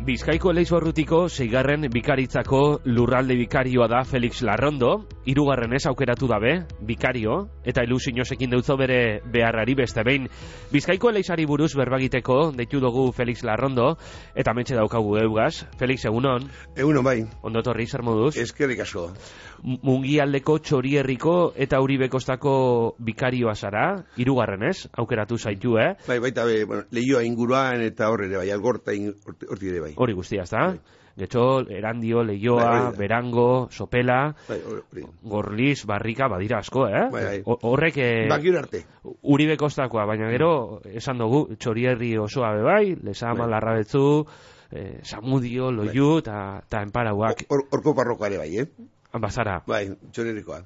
Bizkaiko Elizbarrutiko 6. bikaritzako lurralde bikarioa da Felix Larrondo, 3. aukeratu dabe, bikario, eta ilusiosekin deutzo bere beharrari beste behin. Bizkaiko Elizari buruz berbagiteko deitu dugu Felix Larrondo, eta mentxe daukagu eugaz. Felix, egunon? Egunon bai. Ondo torri, zer moduz? Eskerrik asko. Mungialdeko Txorierriko eta Uribekostako bikarioa zara, 3. aukeratu zaitu, Bai, baita bueno, Leioa inguruan eta horre ere bai, Algorta horti ere bai. Hori guztia, ezta? Bai. Getxo, Erandio, Leioa, bai, Berango, Sopela, bai, Gorliz, Barrika, badira asko, Bai. Horrek... Bakir arte. Uribekostakoa, baina gero, esan dugu, Txorierri osoa bebai, Lezama, bai. Larrabetzu, Samudio, Loiu, eta Enparauak. Horko parrokoa ere bai, Bazara. Bai, Txorierrikoa.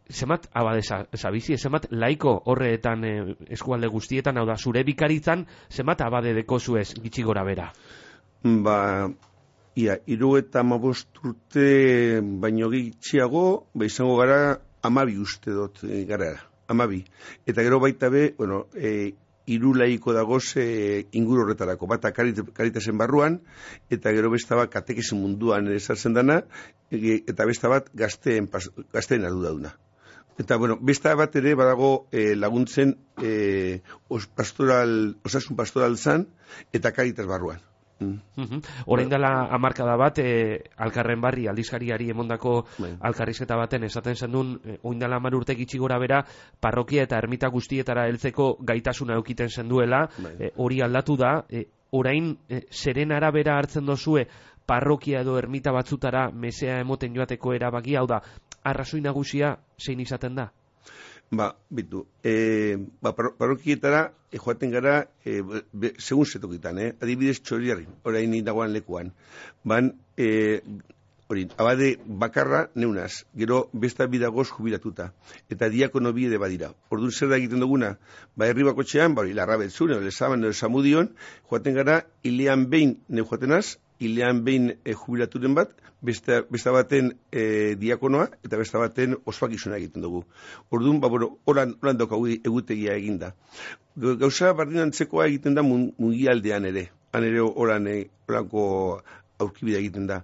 Zemat abade zabizi, zemat laiko horretan eskualde guztietan, hau da, zure bikaritzan, zemat abade deko zuez gitxi gora bera? Ia, 75 urte baino gitxiago, izango gara 12 uste dut gara, 12. Eta gero baita be, bueno, 3 laiko dagoz inguru horretarako, bata Karitasen barruan, eta gero besta bat katekesen munduan esartzen dana, eta besta bat gazteen ardura. Eta, bueno, besta bat ere badago laguntzen osasun pastoral zan, eta Karitas barruan. Orain dela hamarkada bat, Alkarren Barri aldizkariari emondako alkarrizketa baten esaten zendun, orain dela 10 urte gitxi gora bera, parrokia eta ermita guztietara heltzeko gaitasuna eukiten zenduela, hori aldatu da, orain zeren arabera hartzen dozue, parrokia edo ermita batzutara mesea emoten joateko erabaki, hau da, arrazoi nagusia zein izaten da? Bitu, parrokietara joaten gara segun zetokitan, adibidez Txorierri, orain dagoan lekuan. Abade bakarra neunaz, gero besta bidagoz jubilatuta, eta diakono bide badira. Orduan zer da egiten duguna, herri bakotxean, Larrabetzun, Lezaman, Samudion, joaten gara, hilean behin joatenaz, hilean behin jubilaturen bat, besta baten diakonoa, eta besta baten ospakizuna egiten dugu. Orduan, horan daukagu egutegia eginda. Gauza bardinantzekoa egiten da mungialdean ere, han ere horanko aurkibidea egiten da.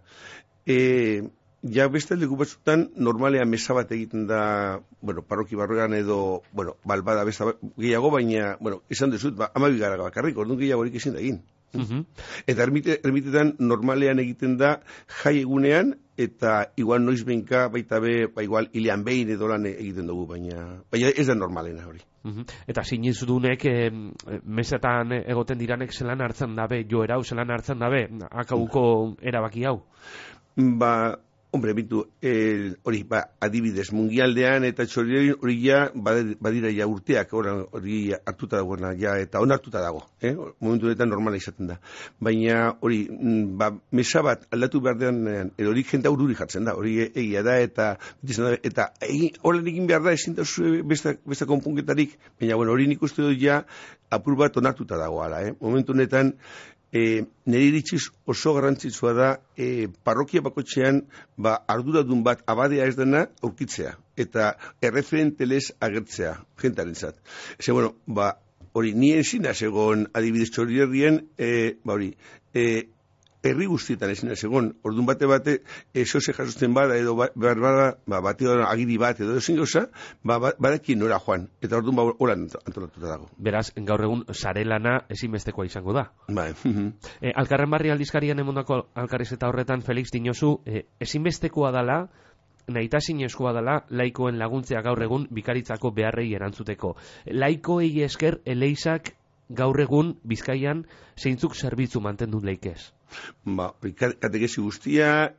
Ja beste leku batzutan normalean mesa bat egiten da, parroki barruan edo, balbada besta gehiago, baina, esan dezut, 12 gara bakarrik, orduan gehiagorik ezin da egin. Eta ermitetan normalean egiten da jai egunean, eta igual noiz behinka baita be, igual hilean behin edo lan egiten dugu, baina ez da normalena hori. Eta sinizudunek mesetan egoten diranek zelan hartzen dabe, joera hau zelan hartzen dabe, akauko erabaki hau? Hombre, bitu, adibidez, mungialdean eta Txorierri hori ja, badira ja urteak, hori hartuta dagoena, eta hon hartuta dago, momentu honetan normala izaten da. Baina hori, mesa bat aldatu behar dean, hori jente aurruri jartzen da, hori egia da, eta horren egin behar da, ezin da besta konpunketarik, baina hori nik uste dut ja, apur bat onartuta dagoala, momentu honetan, nire iritziz oso garrantzitsua da parrokia bakotxean arduradun bat abadea ez dena aurkitzea eta erreferentelez agertzea jentarentzat. Hori nien zinaz egon adibidez Txorierrien herri guztietan ezin egon, orduan bate zehose jasotzen bada edo bate agiri bat edo ezin gauza, badekin nora joan, eta orduan horan antolatuta dago. Beraz, gaur egun sarelana ezinbestekoa izango da. Alkarren Barri aldizkarian emondako alkarrizketa horretan, Felix dinozu, ezinbestekoa dala, nahitazinezkoa dela laikoen laguntzea gaur egun bikaritzako beharrei erantzuteko. Laikoei esker Eleizak gaur egun Bizkaian zeintzuk zerbitzu mantendu leikez? Katekesi guztia,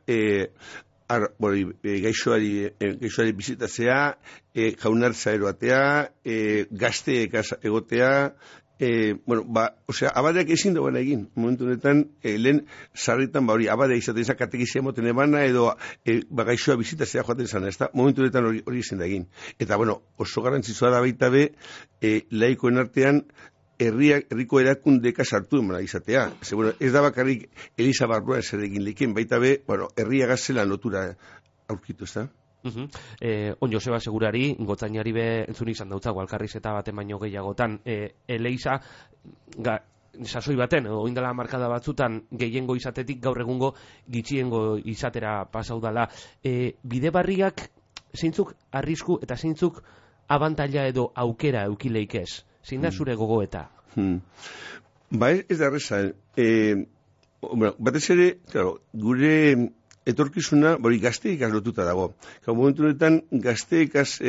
gaixoari bizitatzea, jaunartza eroatea, gazteek egotea, abadeak ezin dagoen egin, momentu honetan, lehen sarritan, abadea izaten izan katekizia moten emana, edo gaixoa bizitatzea joaten izan, ez da, momentu honetan hori ezin da egin. Eta, oso garrantzitsua da baita be, laikoen artean, herriko erakundeka sartu emana izatea. Ez da bakarrik Eliza barruan zer egin leken, baita be, herria gazela lotura aurkitu, ez da? On Joseba Segurari, gotzainari be entzun izan dautzago alkarrizketa baten baino gehiagotan, Eliza sasoi baten, oindala markada batzutan gehiengo izatetik gaur egungo gitxiengo izatera pasau dala. Bide barriak zeintzuk arrisku eta zeintzuk abantaila edo aukera eukileik ez? Zein da zure gogoeta? Ba, ez da erreza. Batez ere, claro, gure etorkizuna, hori gazteikaz lotuta dago. Momentu honetan, gazteikaz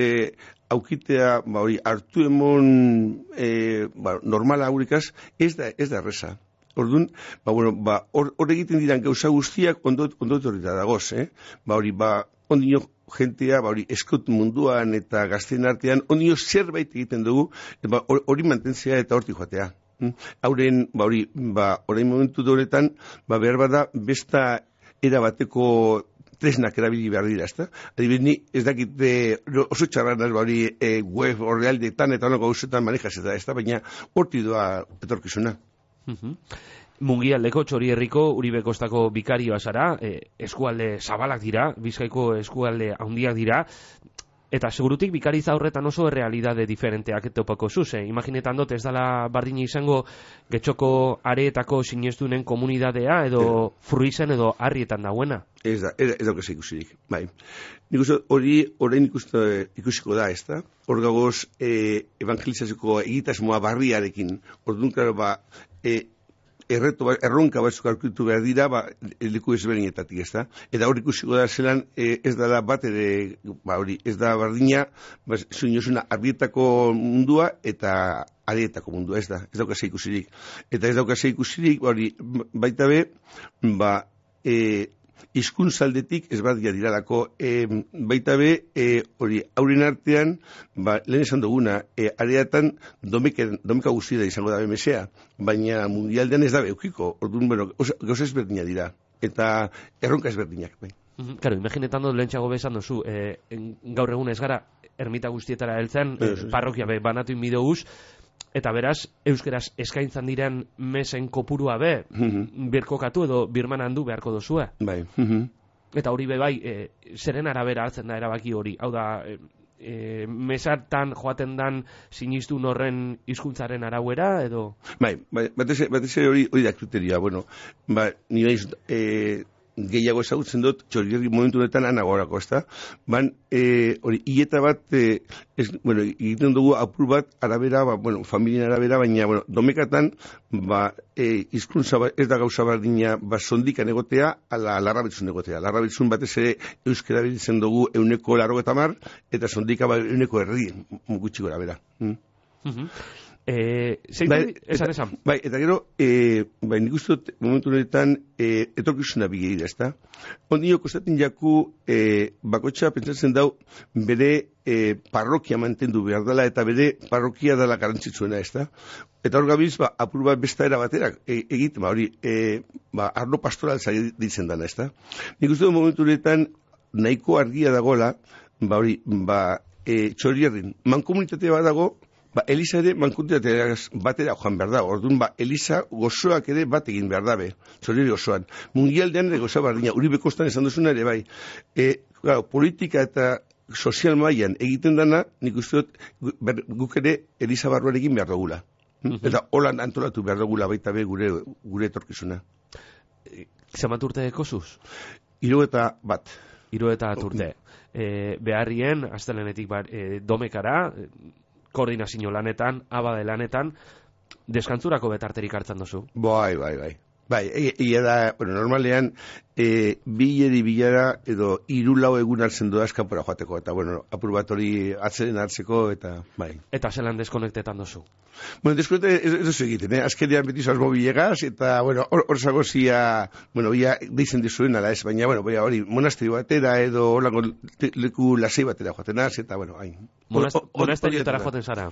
aukitea, hori hartu emon normala aurikaz, ez da erreza. Orduan, hor egiten diran gauza guztiak ondo etorrita dagoz, hori, ondino jentea, hori eskut munduan eta gazteen artean, ondino zerbait egiten dugu, hori mantentzea eta hortik joatea. Hauren, orain momentu horretan, behar bada, besta era bateko tresnak erabili behar dira, ezta? Adibidez, ni ez dakit oso txarran web orrealdeetan eta honako gauzetan manejaz eta, ezta? Baina horti doa etorkizuna. Mungialdeko Txorierriko Uribe Kostako bikarioa zara, eskualde zabalak dira, Bizkaiko eskualde handiak dira, eta segurutik bikaritza horretan oso realidade diferenteak topako zuz. Imaginetan dut ez dela bardina izango Getxoko areetako sinestunen komunidadea edo Fruizen edo Arrietan dauena. Ez dauk ez ikusirik, bai. Nik uste hori orain ikusiko da, ez da? Hor gagoz evangelizatzeko egitasmoa barriarekin. Orduan, klaro, erronka batzuk aurkitu behar dira, leku ezberdinetatik, ez da? Eta hor ikusiko da zelan ez dela bat ere, ez da bardina, zuinozuna Arrietako mundua eta Areetako mundua, ez da? Ez daukaz ikusirik. Eta ez daukaz ikusirik, baita be, hizkuntzaldetik ez badia diralako, baita be, hauren artean, lehen esan duguna, areatan domeka guztia izango da BMSA, baina mundialdean ez da beukiko, orduan, gauza ezberdina dira, eta erronka ezberdinak, bai. Claro, imaginetan dut lehentxago bezan dozu, gaur egun ez gara ermita guztietara heltzen, parrokia banatu inbidoguz, eta beraz, euskeraz eskaintzan diren mesen kopurua birkokatu edo birmanan du beharko dozue. Bai. Eta hori bai, zeren arabera hartzen da erabaki hori. Hau da, mesartan joaten dan sinistun horren hizkuntzaren arauera edo? Bai, batez ere hori da kriterioa. Bueno, ni naiz gehiago ezagutzen dut, Txorierri momentu honetan anagorako, ezta? Hori, hileta bat, egiten dugu apur bat arabera, familien arabera, baina, domekatan, hizkuntza ez da gauza bardina, sondikan egotea, ala larrabetzun egotea. Larrabetzun batez ere euskera biltzen dugu 180, eta sondika 100 gutxi gora bera. Esan. Bai, eta gero, nik uste dut momentu honetan etorkizuna bigeira, ezta? Ondino kostaten jaku bakotxa pentsatzen dau bere parrokia mantendu behar dela eta bere parrokia dela garantzitzuena, ezta? Eta hor gabiz, apur bat besta era baterak egiten, arlo pastoral zai ditzen dana, ezta? Nik uste dut momentu honetan nahiko argia dagoela, Txorierrin, mankomunitatea bat dago, Eliza ere mankomunitatea batera joan behar da. Orduan, Eliza gozoak ere bat egin behar dabe. Txorierri osoan. Mungialdean ere goza bardina. Uribe Kostan esan duzuna ere bai. Politika eta sozial mailan egiten dana, nik uste dut guk ere Eliza barruan egin behar dugula. Eta holan antolatu behar dugula baita be gure etorkizuna. Zemat urte ekozuz? 71. 71 urte. Beharrien, astelenetik domekara, koordinazio lanetan, abade lanetan, deskantzurako betarterik hartzen duzu? Bai. Ia da, normalean, bilara edo 3-4 egun hartzen du eskapora joateko, eta, apur bat hori atzeren hartzeko, eta, bai. Eta zelan deskonektetan duzu? Deskonekte ez duzu egiten, azkenean beti zoaz bilegaz, eta, hor zagozia, ia deitzen dizuen ala ez, baina, hori, monasterio batera edo horlako leku lasei batera joaten az, eta, hain. Monasteriotara joaten zara?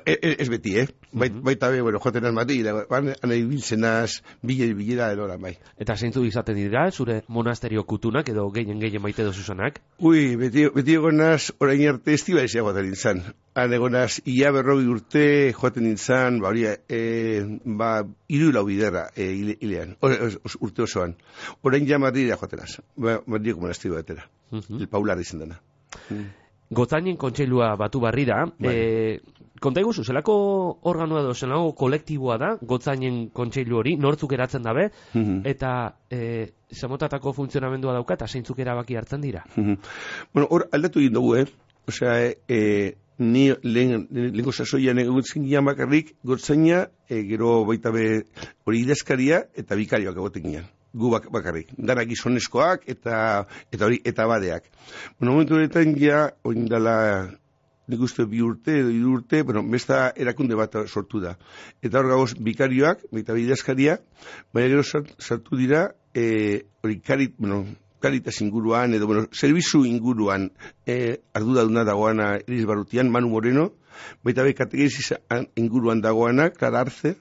Ez beti, baita be, joaten az mati, anai biltzen az, bilera edo bai. Eta zeintzu izaten dira, zure monasterio kutunak edo gehien maite dozuzanak? Beti egonaz, orain arte estibaizia joaten nintzen. Han egonaz, ia 40 urte joaten nintzen, 3-4 biderra hilean, urte osoan. Orain ja Madridera joaten az, Madrideko monasterio batera, el Paular izan dena. Gotzainen kontseilua batu barri da. Konta iguzu, zelako organoa edo, zelako kolektiboa da, Gotzainen kontseilu hori, nortzuk eratzen dabe, eta zamotatako funtzionamendua dauka, eta zeintzuk erabaki hartzen dira. Bueno, hor aldatu egin dugu, Osea, ni lehenko sasoian egutzen gian bakarrik, Gotzaina, gero baita be hori idazkaria eta bikarioak egoten gian. Gu bakarrik. Dara gizonezkoak eta badeak. Bueno, momentu horretan ja, oindala nik uste 2 urte edo 3 urte, bueno, besta erakunde bat sortu da. Eta hor gagoz bikarioak, baita idazkaria, baina gero sartu dira, hori Caritas inguruan, edo, servizu inguruan arduraduna dagoana Elis Barrutian, Manu Moreno, baita be katekesi inguruan dagoana, Clara Arce,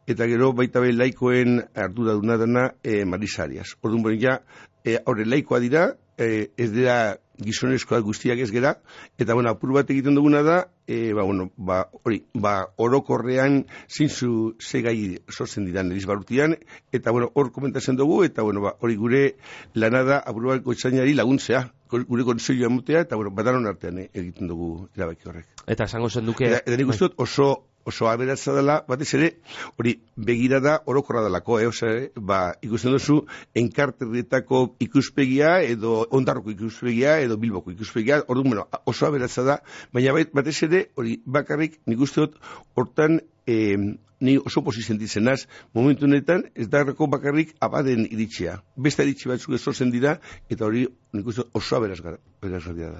eta gero baita be laikoen arduraduna dana Marisa Arias. Orduan, ja, horre laikoa dira, ez dira gizonezkoak guztiak ez gera, eta, apur bat egiten duguna da, orokorrean zintzu zegai sortzen diran Elis Barrutian, eta, hor komentatzen dugu, eta, hori gure lanada apur bat Gotzainari laguntzea, gure konseilua emotea, eta, badanon artean egiten dugu erabaki horrek. Eta esango zen duke... Eta nik uste dut oso aberatza dela, batez ere, hori begirada orokorra dalako, ikusten duzu, enkarterrietako ikuspegia, edo ondarroko ikuspegia, edo Bilboko ikuspegia, orduan, oso aberatza da, baina batez ere, hori bakarrik, nik uste dut, hortan, ni oso posizentitzen naz, momentu honetan, ez darrako bakarrik abaden iritsia. Beste iritsi batzuk ezortzen dira, eta hori, nik uste oso aberazgarria da.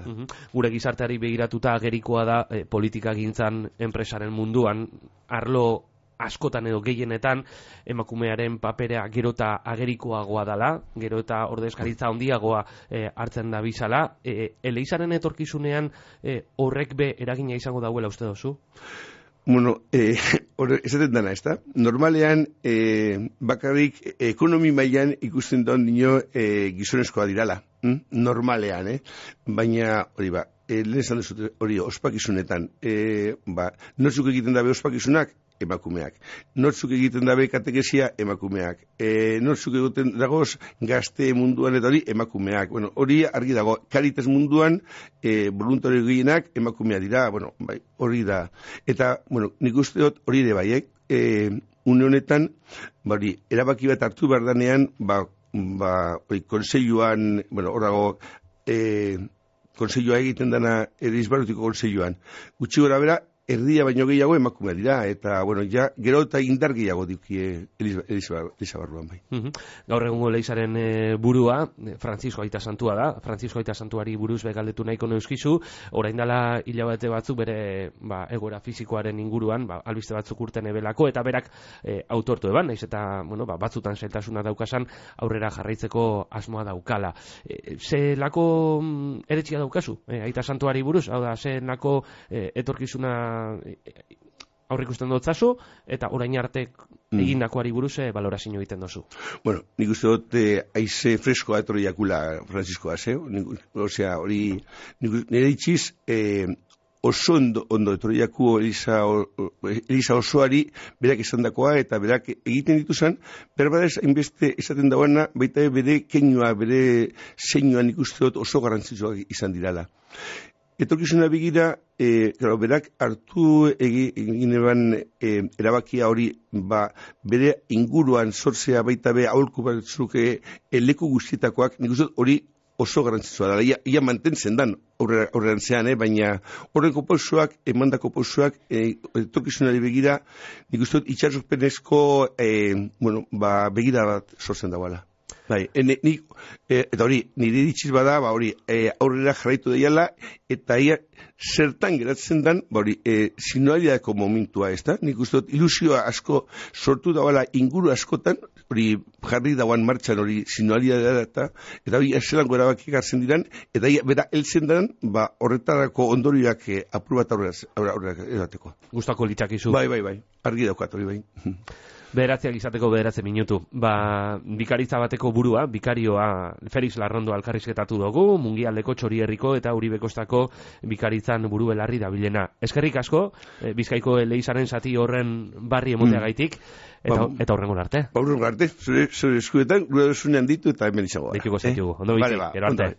Gure gizarteari begiratuta agerikoa da, politika gintzan enpresaren munduan, arlo askotan edo gehienetan emakumearen papera gero eta agerikoagoa dela, gero eta ordezkaritza handiagoa hartzen da bizala. Eleizaren etorkizunean horrek be eragina izango dauela uste dozu? Bueno, esaten dana, ez da? Normalean, bakarrik ekonomi mailan ikusten da nio gizonezkoa dirala. Normalean, baina, hori lehen esan dut hori ospakizunetan, nortzuk egiten dabe ospakizunak? Emakumeak. Nortzuk egiten dabe katekesia? Emakumeak. Nortzuk egiten dagoz gazte munduan eta hori? Emakumeak. Hori argi dago. Caritas munduan voluntario gehienak emakumea dira. Hori da. Eta, nik uste dut hori ere baiek. Une honetan, erabaki bat hartu behar danean, konseiluan, hor dago, konseilua egiten dana Elis Barrutiko konseiluan. Gutxi gora bera, erdia baino gehiago emakumea dira, eta, gero eta indar gehiago diukie Elisa Barruan bai. Gaur egungo Elizaren burua, Francisco Aita Santua da, Francisco Aita Santuari buruz begaldetu nahiko neuzkizu, orain dela hilabete batzuk bere egoera fisikoaren inguruan, albiste batzuk urten ebelako, eta berak autortu eban, naiz eta, batzutan zailtasuna daukasan, aurrera jarraitzeko asmoa daukala. Zelako eretxia daukazu, Aita Santuari buruz, hau da, zelako etorkizuna aurrikusten dutzazu, eta orain arte egindakoari buruz balorazio egiten dozu. Bueno, nik uste dut aize freskoa etorri jakula Franciscoa, osea, hori nire itxiz oso ondo etorri jaku Elisa osoari berak esandakoa eta berak egiten dituzan, berbadez hainbeste esaten dagoena, baita bere keinua, bere zeinuan ikuste dut oso garrantzitsuak izan dirala. Etorkizuna begira, berak hartu egin eban erabakia hori, bere inguruan sortzea baita be aholku batzuk leku guztietakoak, nik uste hori oso garrantzitsua da. Ia mantentzen dan horrean zean, baina horreko pausoak, emandako pausoak, etorkizunari begira, nik uste itxarsuzpenezko begira bat sortzen dagoela. Eta hori, nire ditxiz bada, aurrera jarraitu daiala, eta zertan geratzen dan, sinualiadeko momentua, ez da? Nik uste dut, ilusioa asko sortu dagoela inguru askotan, hori jarri dagoan martxan hori sinualiadea eta hori eselango erabaki gartzen diran, eta bera heltzen dan, horretarako ondorioak apur bat aurrera edateko. Gustako litzakizu. Bai, argi daukat hori bai. Beratzeak izateko 9 minutu. Bikaritza bateko burua, bikarioa Felix Larrondo alkarrizketatu dugu, Mungialdeko Txorierriko eta Uribekostako bikaritzan buru belarri dabilena. Eskerrik asko, Bizkaiko Eleizaren zati horren barri emoteagaitik, eta horrengo arte. Horrengo arte, zure eskuetan, gure dosunean ditu eta hemen izagoa. Dituko zaitugu, ondo bizi, gero arte.